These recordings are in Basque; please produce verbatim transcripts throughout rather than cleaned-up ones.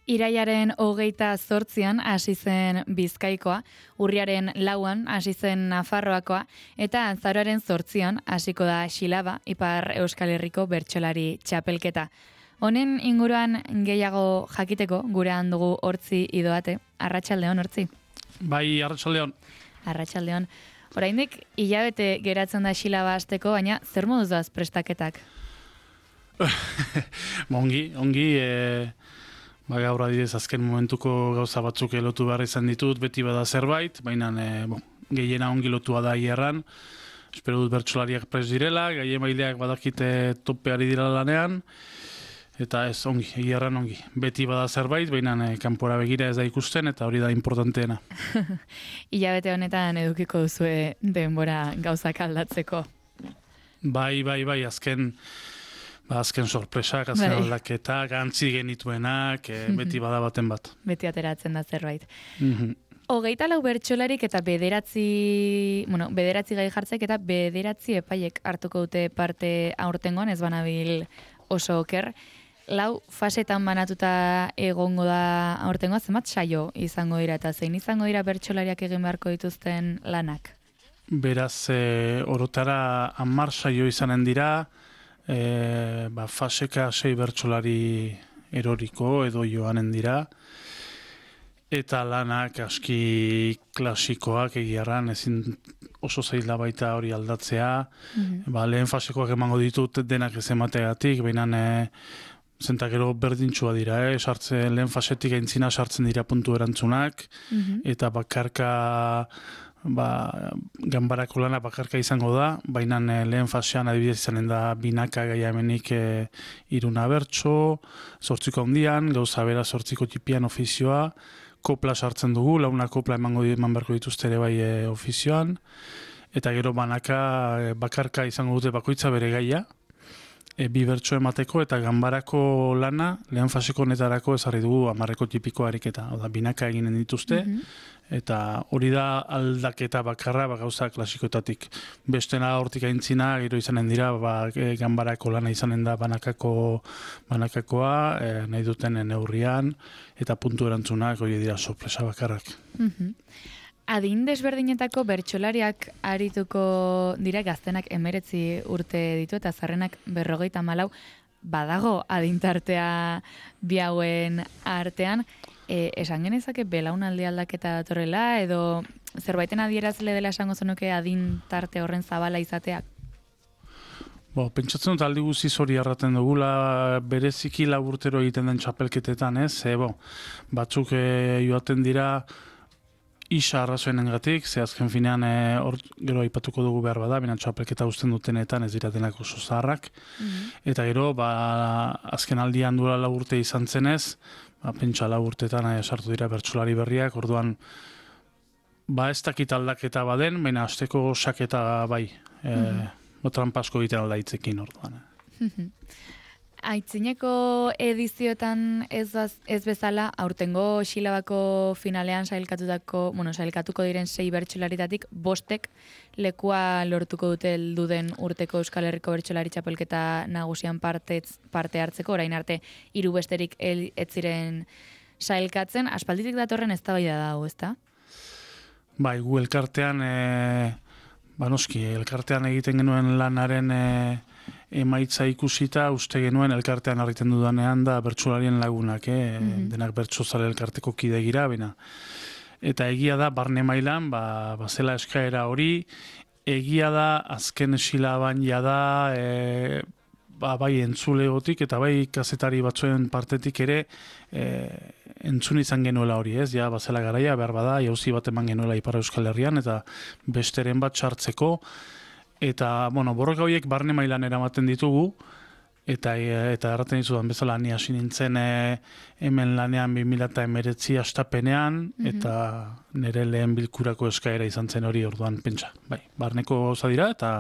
Iraiaren hogeita zortzian hasi zen Bizkaikoa, urriaren lauan hasi zen Nafarroakoa, eta azaroaren zortzian hasiko da Xilaba, Ipar Euskal Herriko bertsolari txapelketa. Honen inguruan gehiago jakiteko gurean dugu Hortzi Idoate. Arratsaldeon, Hortzi. Bai, arratsaldeon. Arratsaldeon. Oraindik hilabete geratzen da Xilaba hasteko, baina zer moduz doaz prestaketak? ongi, ongi, e... Ba, gaur adidez azken momentuko gauza batzuk lotu behar izan ditut, beti bada zerbait, baina e, bon, gehiena ongi lotua da hierran. Espero dut bertsolariak prest direla, gaien baileak badakite topeari dira lanean, eta ez ongi, hierran ongi. Beti bada zerbait, baina e, kanpora begira ez da ikusten, eta hori da importanteena. Hilabete honetan edukiko duzue denbora gauzak aldatzeko. Bai, bai, bai, azken... Ba, azken sorpresak, azken bai. Aldaketak, antzi genituenak, e, beti bada baten bat. Beti ateratzen da zerbait. Mm-hmm. Hogeita lau bertsolarik eta bederatzi, bueno, bederatzi gai jartzek eta bederatzi epaiek hartuko dute parte aurtengoan, ez banabil oso oker. Lau fasetan banatuta egongo da aurtengoa, zenbat saio izango dira eta zein izango dira bertsolariak egin beharko dituzten lanak? Beraz, e, orotara hamar saio izanen dira, E, ba, faseka sei bertsolari eroriko edo joanen dira, eta lanak aski klasikoak egiarran, ezin oso zaila baita hori aldatzea. Mm-hmm. Ba, lehen fasekoak emango ditut denak ez emategatik, baina e, zentakero berdintxua dira, eh? Sartze, lehen fasetik aintzina sartzen dira puntu erantzunak, mm-hmm. eta bakarka ba, ganbarako lana bakarka izango da, baina lehen fasean adibidez izanen da binaka gaia hemenik e, iruna bertso, zortziko handian, gauza bera zortziko tipian ofizioa, kopla sartzen dugu, launa kopla emango eman beharko dituzte ere bai e, ofizioan, eta gero banaka e, bakarka izango dute bakoitza bere gaia, e, bi bertso emateko, eta ganbarako lana lehen faseko netarako ezarri dugu hamarreko tipiko ariketa, oda binaka eginen dituzte, mm-hmm. eta hori da aldaketa bakarra ba, gauza klasikoetatik. Bestena hortik aintzina, gero izanen dira, ba, e, ganbarako lana izanen da banakako, banakakoa, e, nahi duten neurrian, eta puntu erantzunak hori dira sorpresa bakarrak. Mm-hmm. Adin desberdinetako bertsolariak arituko dira, gaztenak emeretzi urte ditu eta zarrenak berrogeita malau, badago adintartea bi hauen artean. E, esan genezake belaunaldi aldaketa datorrela, edo zerbaiten adierazle dela esango zenuke adintarte horren zabala izateak? Bo, pentsatzen dut aldi guziz hori arraten dugula, bereziki laburtero egiten den txapelketetan, ez? E, bo, batzuk e, joaten dira isa arrazoenengatik, ze azken finean e, or, gero aipatuko dugu behar bada, bina txapelketa usten dutenetan ez dira denak oso zaharrak, mm-hmm. eta gero, ba, azken aldian duela laburte izan zenez, ba, pentsa laburtetan e, sartu dira bertsolari berriak, orduan, ba, ez dakit aldaketa baden, baina asteko saketa bai, e, mm-hmm. trampasko egiten aldaitzekin orduan. Mm-hmm. Aitzineko edizioetan ez, ez bezala, aurtengo Xilabako finalean sailkatutako, bueno, sailkatuko diren sei bertsolaritatik bostek lekua lortuko dute helduden urteko Euskal Herriko bertsolari txapelketa nagusian parte, parte hartzeko, orain arte hiru besterik ez ziren sailkatzen. Aspalditik datorren eztabaida da hau, ezta? Bai, gu elkartean, e, ba noski, elkartean egiten genuen lanaren e, emaitza ikusita, uste genuen elkartean harriten dudanean da bertsolarien lagunak, eh? Mm-hmm. Denak bertsozale elkarteko kide gira, bena. Eta egia da, barne mailan, ba, ba zela eskaera hori, egia da, azken Xilaban jada, e, ba, bai entzulegotik eta bai kazetari batzuen partetik ere e, entzun izan genuela hori, ez? Ja, bazela garaia, behar bada, jauzi bat eman genuela Ipar Euskal Herrian, eta besteren bat sartzeko, eta, bueno, borroka horiek barne mailan eramaten ditugu, eta eta erraten dizudan bezala ni hasi nintzen e, hemen lanean bi mila hemeretzi hastapenean, mm-hmm. eta nire lehen bilkurako eskaera izan zen hori orduan pentsa. Bai, barneko gauza dira, eta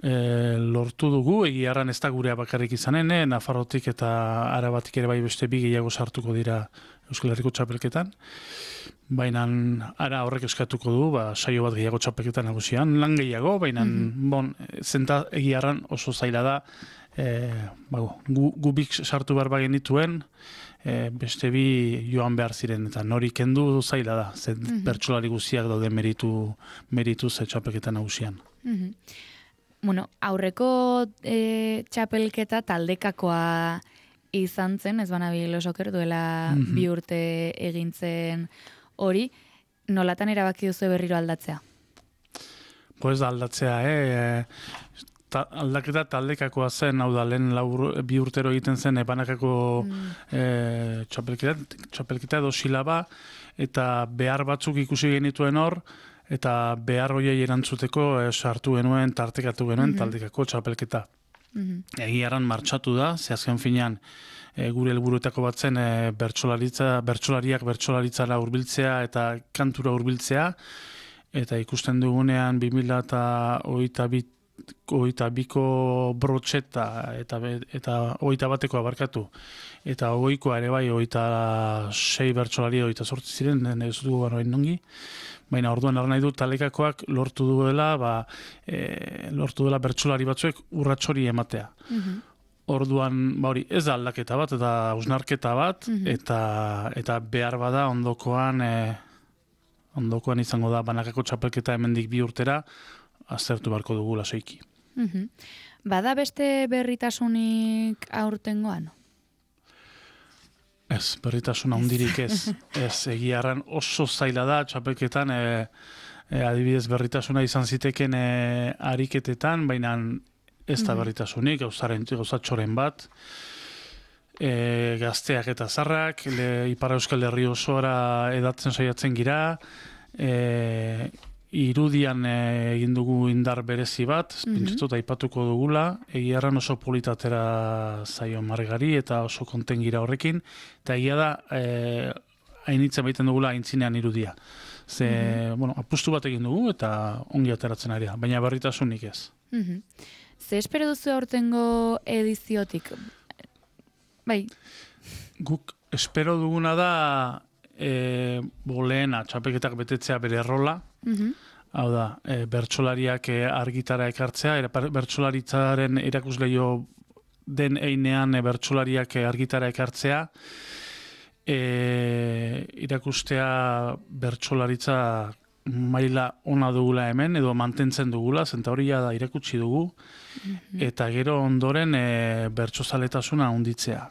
e, lortu dugu, egiarran ez da gurea bakarrik izanen, e, Nafarrotik eta Arabatik ere bai beste bi gehiago sartuko dira Euskal Herriko txapelketan. Baina ara horrek eskatuko du, ba, saio bat gehiago txapelketan nagusian, lan gehiago, baina mm-hmm. bon, zenta egiarran oso zaila da, e, bago, gu, gubik sartu behar bagen dituen, e, beste bi joan behar ziren, eta nori kendu zaila da, ze Mhm. bertsolari guztiak daude meritu, meritu ze txapelketa nagusian. Mhm. Bueno, aurreko e, txapelketa taldekakoa izan zen, ez banabil osoker duela Mhm. bi urte egintzen hori, nolatan erabaki duzu berriro aldatzea? Pues aldatzea, eh? Ta, aldaketa taldekakoa zen, hau da, lehen lau, bi urtero egiten zen, ebanakako Mm. eh, txapelketa, txapelketa edo silaba, eta behar batzuk ikusi genituen hor, eta behar hoiei erantzuteko eh, sartu genuen, tartekatu genuen Mhm. taldekako txapelketa. Mhm. Egiaran martxatu da, ze azken finean e, gure helburuetako bat zen e, bertsolaritza, bertsolariak bertsolaritzara hurbiltzea eta kantura hurbiltzea, eta ikusten dugunean bi mila hogeita bi hogeita biko brotxeta eta be- eta hogeita bateko abarkatu eta hogeikoa ere bai hogeita sei bertsolari hogeita zortzi ziren, ez dugu orain nongi, baina orduan ar nahi dut talekakoak lortu duela, ba, e, lortu duela bertsolari batzuek urratxori ematea. Mhm. Orduan, ba hori, ez da aldaketa bat, eta hausnarketa bat, Mhm. eta, eta behar bada ondokoan, e, ondokoan izango da banakako txapelketa hemendik bi urtera, aztertu beharko dugu lasoiki. Mhm. Bada beste berritasunik aurtengoan? Ez, berritasun handirik ez. Ez, egiarran oso zaila da txapelketan, e, e, adibidez berritasuna izan ziteken e, ariketetan, baina ez da Mhm. berritasunik, gauzaren, gauzatxoren bat, e, gazteak eta zarrak, le, Ipar Euskal Herri osoara edatzen saiatzen gira, e, irudian e, egin dugu indar berezi bat, Mhm. pentsatut aipatuko dugula, egiarran oso politatera zaio margari eta oso konten gira horrekin, eta egia da, e, hainitzen baiten dugula aintzinean irudia. Ze, bueno, apustu bat egin dugu eta ongi ateratzen ari da, baina berritasunik ez. Mhm. Ze espero duzu aurtengo ediziotik? Bai. Guk espero duguna da e, bolena txapelketak betetzea bere rola, Mhm. hau da, e, bertsolariak e, argitara ekartzea, era, bertsolaritzaren erakusleio den einean e, bertsolariak e, argitara ekartzea, e, irakustea bertsolaritza maila ona dugula hemen, edo mantentzen dugula, zenta hori da irakutsi dugu, eta gero ondoren e, bertsozaletasuna handitzea.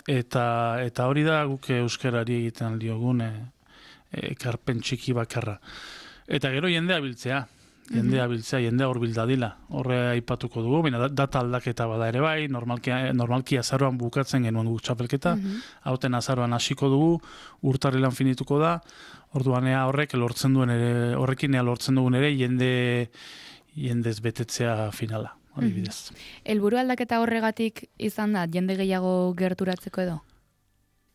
Eta, eta hori da guk euskarari egiten diogun e, ekarpen txiki bakarra. Eta gero jendea biltzea, jendea biltzea, jendea hor bildadila. Horre aipatuko dugu, baina data aldaketa bada ere bai, normalki, normalki azaroan bukatzen genuen guk txapelketa, hauten azaroan hasiko dugu, urtarrilan finituko da, orduan ea horrek lortzen duen ere, horrekin ea lortzen dugun ere, jende, jendez betetzea finala. Adibidez. Helburu aldaketa horregatik izan da, jende gehiago gerturatzeko edo?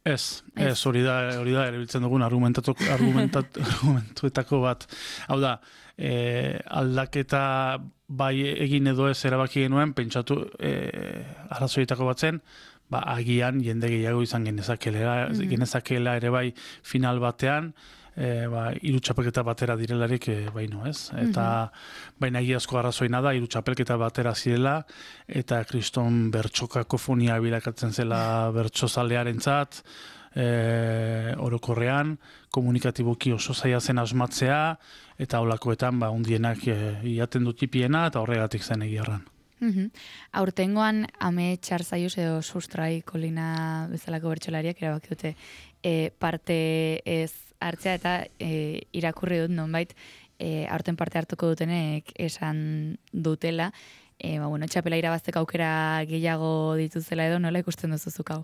Ez, ez, hori da, hori da, erabiltzen dugun argumentuetako bat. Hau da, e, aldaketa bai egin edo ez erabaki genuen, pentsatu e, arrazoietako bat zen, ba, agian jende gehiago izan genezakela, mm-hmm. genezakela ere bai final batean, E, ba, hiru txapelketa batera direlarik e, baino, ez? Eta mm-hmm. baina egiazko arrazoina da, hiru txapelketa batera zirela, eta kriston bertxokakofonia bilakatzen zela bertxozalearentzat, e, orokorrean, komunikatiboki oso zaila zen asmatzea, eta holakoetan, ba, undienak e, iaten dut tipiena, eta horregatik zen egiarran. Mm-hmm. Aurtengoan, ame txarzaiuz edo sustrai kolina bezalako bertxolariak erabaki dute e, parte ez hartzea eta e, irakurri dut nonbait e, aurten parte hartuko dutenek esan dutela, e, ba, bueno, txapela irabazteko aukera gehiago dituzela edo nola ikusten duzuzuk hau?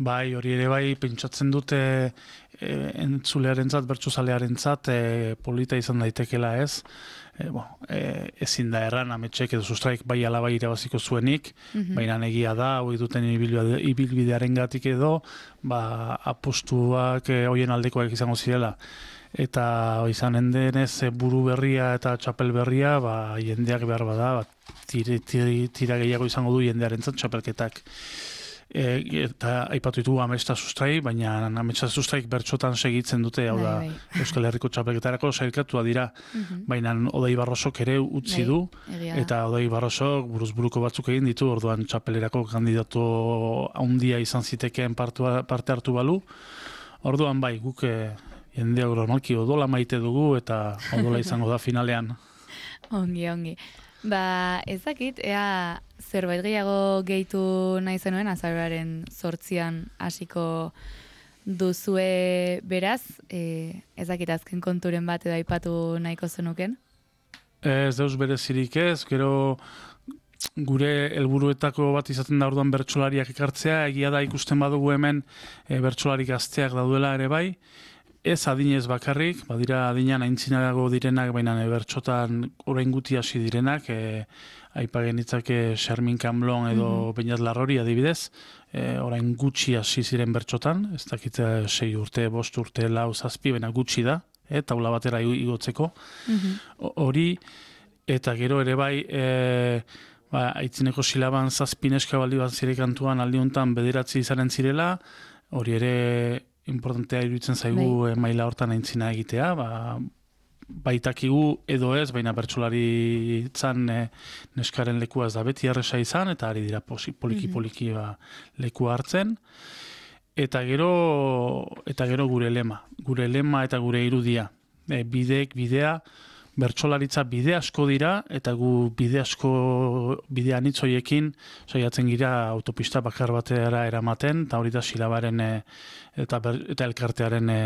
Bai, hori ere bai, pentsatzen dute e, entzulearentzat, bertsozalearentzat e, polita izan daitekela ez. E, bo, e, ezin da erran ametxek edo sustraik bai ala bai irabaziko zuenik, mm-hmm. baina egia da, hori duten ibilbidearen gatik edo, ba, apustuak e, hoien aldekoak izango zirela. Eta izanen denez buru berria eta txapel berria, ba, jendeak behar bada, ba, tira, tira, tira gehiago izango du jendearentzat txapelketak. E, eta aipatu ditugu Ametsa Sustrai, baina Ametsa Sustraik bertsotan segitzen dute, hau da, bai, bai. Euskal Herriko txapelketarako sailkatua dira, Mhm. baina Odei Barrosok ere utzi Bai, du, egia da. eta Odei Barrosok buruz buruko batzuk egin ditu, orduan txapelerako kandidatu handia izan zitekeen partua, parte hartu balu. Orduan bai, guk eh, jendea normalki odola maite dugu, eta odola izango da finalean. Ongi, ongi. Ba, ezakit, ea zerbait gehiago gehitu nahi zenuen, azaroaren zortzian hasiko duzue beraz, e, ezakit azken konturen bat edo aipatu nahiko zenuken? Ez deus berezirik ez, gero gure helburuetako bat izaten da orduan bertsolariak ekartzea, egia da ikusten badugu hemen e, bertsolari gazteak daudela ere bai, ez adinez bakarrik, badira adinan aintzinago direnak, baina e, bertsotan orain guti hasi direnak, e, aipagen ditzake Xarmin Kamblon edo mm-hmm. Beñat Larrori adibidez, e, orain gutxi hasi ziren bertsotan, ez dakit sei urte, bost urte, lau, zazpi, baina gutxi da, e, taula batera igotzeko. Mm-hmm. Hori, eta gero ere bai, e, ba, aitzineko silaban zazpineska baldi bat zire kantuan aldi honetan bederatzi izanen zirela, hori ere importantea iruditzen zaigu e, maila hortan aintzina egitea, ba, baitakigu edo ez, baina bertsolari zan e, neskaren lekua ez da beti erresa izan, eta ari dira poliki-poliki ba, lekua hartzen. Eta gero, eta gero gure lema, gure lema eta gure irudia. E, bideek bidea, bertsolaritza bide asko dira, eta gu bide asko, bide anitzoiekin, saiatzen gira autopista bakar batera eramaten, eta hori da silabaren e, eta, ber, eta elkartearen e,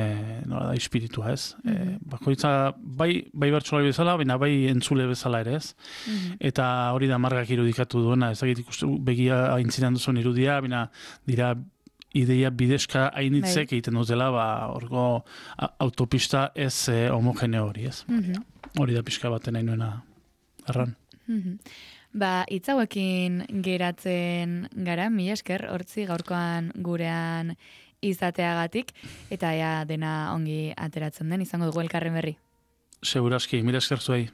nola da, espiritua ez. Mm-hmm. E, bakoitza, bai, bai bertsolari bezala, baina bai entzule bezala ere ez. Mm-hmm. Eta hori da margak irudikatu duena, ez dakit ikustu begia aintzinan duzun irudia, baina dira ideia bidezka hainitzek egiten dutela, ba, orgo autopista ez e, homogeneo hori ez. Mm-hmm. Hori da pixka baten nahi nuena erran. Mm-hmm. Ba, itzauekin geratzen gara, mila esker, hortzi gaurkoan gurean izateagatik, eta ea dena ongi ateratzen den, izango dugu elkarren berri. Seguraski, mila esker zuei.